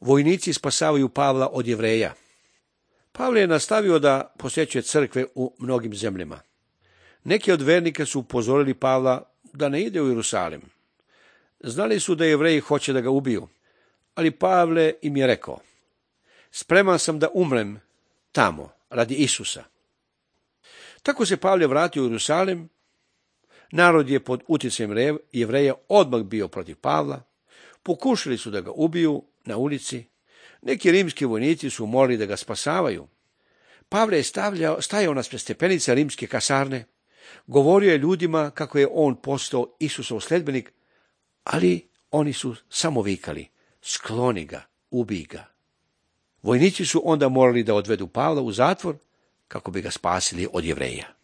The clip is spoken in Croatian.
Vojnici spasavaju Pavla od Jevreja. Pavle je nastavio da posjećuje crkve u mnogim zemljama. Neki od vernika su upozorili Pavla da ne ide u Jerusalim. Znali su da Jevreji hoće da ga ubiju, ali Pavle im je rekao: spreman sam da umrem tamo radi Isusa. Tako se Pavle vratio u Jerusalim. Narod je pod utjecajem Jevreja odmah bio protiv Pavla. Pokušali su da ga ubiju na ulici. Neki rimski vojnici su molili da ga spasavaju. Pavle je stajao na stepenice rimske kasarne. Govorio je ljudima kako je on postao Isusov sledbenik, ali oni su samo vikali: skloni ga, ubij ga. Vojnici su onda morali da odvedu Pavla u zatvor kako bi ga spasili od Jevreja.